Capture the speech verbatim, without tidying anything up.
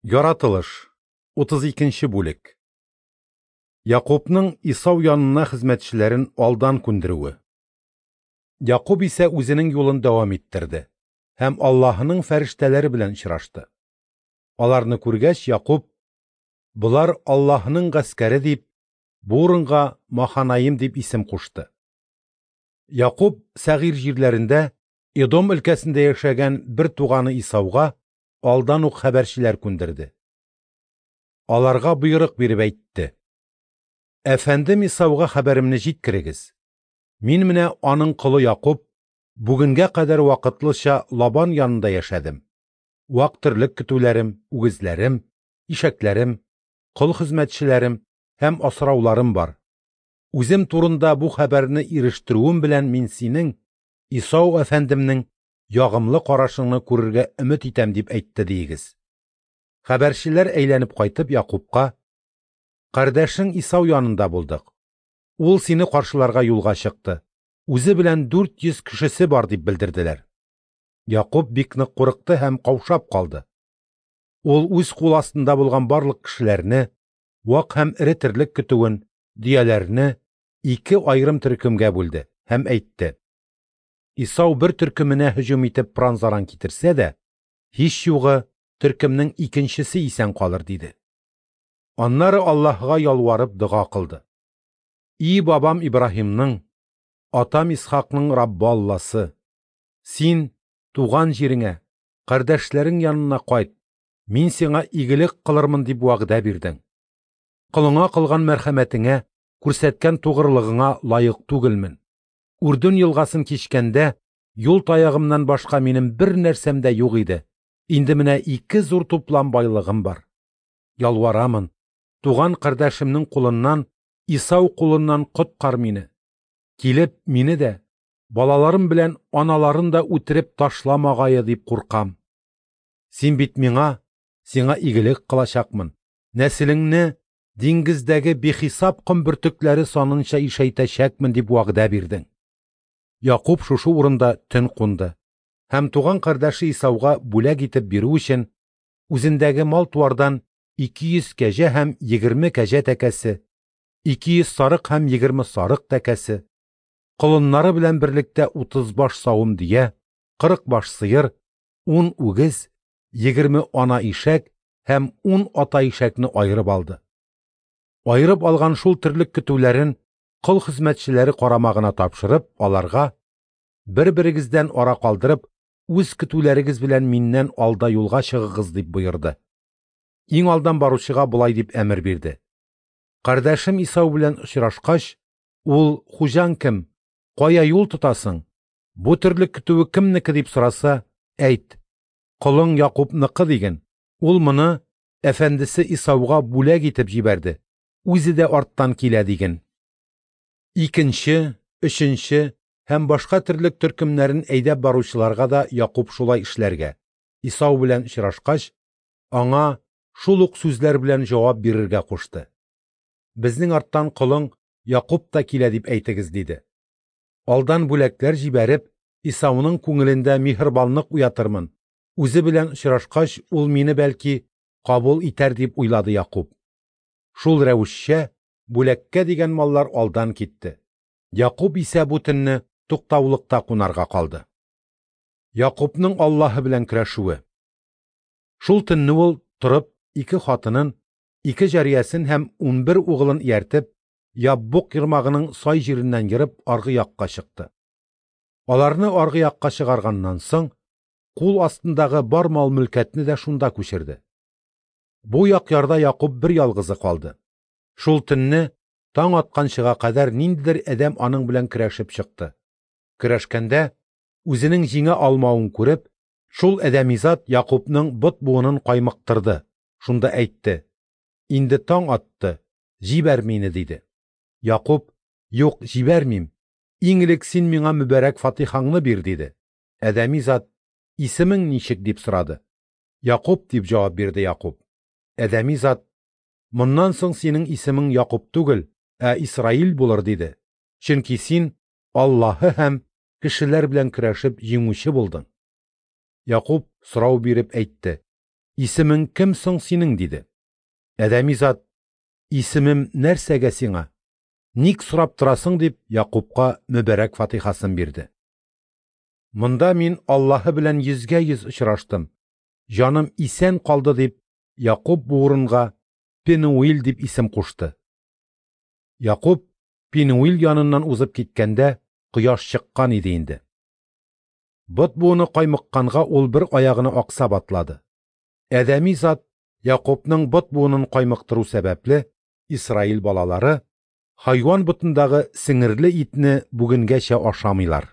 Яратылыш, утыз икенче бүлек. Якубның Исау янына хезмәтчеләрен алдан күндерүе. Якуб исә үзенең юлын дәвам иттерде һәм Аллаһының фәрештәләре белән очрашты. Аларны күргәч, Якуб: "Болар Аллаһының гаскәре", дип, бу урынга Маханаим дип исем кушты. Якуб Сәгыйрь җирләрендә Эдом өлкәсендә яшәгән бер туганы Исауга алдан ук хәбәрчеләр күндерде. Аларга боерык биреп әйтте: "Әфәндем Исауга хәбәремне җиткерегез. Мин менә аның колы Якуб бүгенгә кадәр вакытлыча Лабан янында яшәдем. Вак терлек көтүләрем, үгезләрем, ишәкләрем, кол хезмәтчеләрем һәм асрауларым бар. Үзем турында бу хәбәрне ирештерүем белән мин синең, Исау әфәндемнең, ягымлы карашыңны күрергә өмет итәм, дип әйтте диегез". Хәбәрчеләр әйләнеп кайтып Якубка: "Кардәшең Исау янында булдык. Ул сине каршыларга юлга чыкты. Үзе белән дүрт йөз кешесе бар", дип белдерделәр. Якуб бик нык курыкты һәм каушап калды. Ул үз кул астында булган барлык кешеләрне, вак һәм эре терлек көтүен, дөяләрне ике аерым төркемгә бүлде һәм әйтте: "Исау бер төркеменә һөҗүм итеп пыран-заран китерсә дә, һич югы төркемнең икенчесе исән калыр", диде. Аннары Аллаһыга ялварып дога кылды: "И бабам Ибраһимның, атам Исхакның Раббы Алласы, син туган җиреңә, кардәшләрең янына кайт, мин сиңа игелек кылырмын дип вәгъдә бирдең. Колыңа кылган мәрхәмәтеңә, күрсәткән тугрылыгыңа лаек түгелмен. Үрдүн елгасын кичкәндә юл таягымнан башка минем бер нәрсәм дә юк иде. Инде менә ике зур туплам байлыгым бар. Ялварамын, туган кардәшемнең кулыннан, Исау кулыннан коткар мине. Килеп мине дә, балаларым белән аналарын да үтереп ташламагае дип куркам. Син бит миңа, сиңа игелек кылачакмын, нәселеңне диңгездәге бихисап ком бөртекләре санынча ишәйтәчәкмен дип вәгъдә бирдең". Якуб шушы урында төн кунды һәм туган кардәше Исауга бүләк итеп бирү өчен үзендәге мал-туардан ике йөз кәҗә һәм егерме кәҗә тәкәсе, ике йөз сарык һәм егерме сарык тәкәсе, колыннары белән берлектә утыз баш савым дөя, кырык баш сыер, ун үгез, егерме ана ишәк һәм ун ата ишәкне аерып алды. Аерып алган шул терлек көтүләрен кол хезмәтчеләре карамагына тапшырып, аларга: "Бер-берегездән ара калдырып, үз көтүләрегез белән миннән алда юлга чыгыгыз", дип боерды. Иң алдан баручыга болай дип әмер бирде: "Кардәшем Исау белән очрашкач, ул: 'Хуҗаң кем? Кая юл тотасың? Бу терлек көтүе кемнеке?' дип сораса, әйт: 'Колың Якубныкы' диген. Ул моны әфәндесе Исауга бүләк итеп җибәрде. Үзе дә арттан килә", диген. Икенче, өченче һәм башка терлек төркемнәрен әйдәп баручыларга да Якуб шулай эшләргә, Исау белән очрашкач, аңа шул ук сүзләр белән җавап бирергә кушты. "Безнең арттан колың Якуб та килә дип әйтегез", диде. "Алдан бүләкләр җибәреп, Исауның күңелендә миһербанлык уятырмын. Үзе белән очрашкач, ул мине бәлки кабул итәр", дип уйлады Якуб. Шул рәвешчә бүләккә дигән маллар алдан китте. Якуб исә бу төнне туктаулыкта кунарга калды. Якубның Аллаһы белән көрәшүе. Шул төнне ул торып, ике хатынын, ике җариясен һәм унбер угылын ияртеп, Яббук ермагының сай җиреннән ерып аргы якка чыкты. Аларны аргы якка чыгарганнан соң, кул астындагы бар мал-мөлкәтне дә шунда күчерде. Бу як ярда Якуб бер ялгызы калды. Шул төнне таң атканчыга кадәр ниндидер адәм аның белән көрәшеп чыкты. Көрәшкәндә үзенең җиңә алмавын күреп, шул адәми зат Якубның бот буынын каймыктырды. Шунда әйтте: "Инде таң атты, җибәр мине", диде. Якуб: "Юк, җибәрмим. Иң элек син миңа мөбарәк фатихаңны бир", диде. Адәми зат: "Исемең ничек?" дип сорады. "Якуб", дип җавап бирде Якуб. Адәми зат: "Моннан соң синең исемең Якуб түгел, ә Исраил булыр", диде. "Чөнки син Аллаһы һәм кешеләр белән көрәшеп җиңүче булдың". Якуб сорау биреп әйтте: Исемең кем соң синең? – диде. Адәми зат: Исемем нәрсәгә сиңа? Ник сорап торасың? – дип, Якупка мөбарәк фатихасын бирде. Монда мин Аллаһы белән йөзгә-йөз очраштым, җаным исән калды, дип, Якуп бу урынга Пенуил дип исем кушты. Якуп Пенуил яныннан узып киткәндә, кояш чыккан иде инде. Бот буыны каймыкканга ул бер аягына аксап атлады. Адәми зат Якупның бот буынын каймыктыру сәбәпле, Исраил балалары хайван ботындагы сеңерле итне бүгенгәчә ашамыйлар.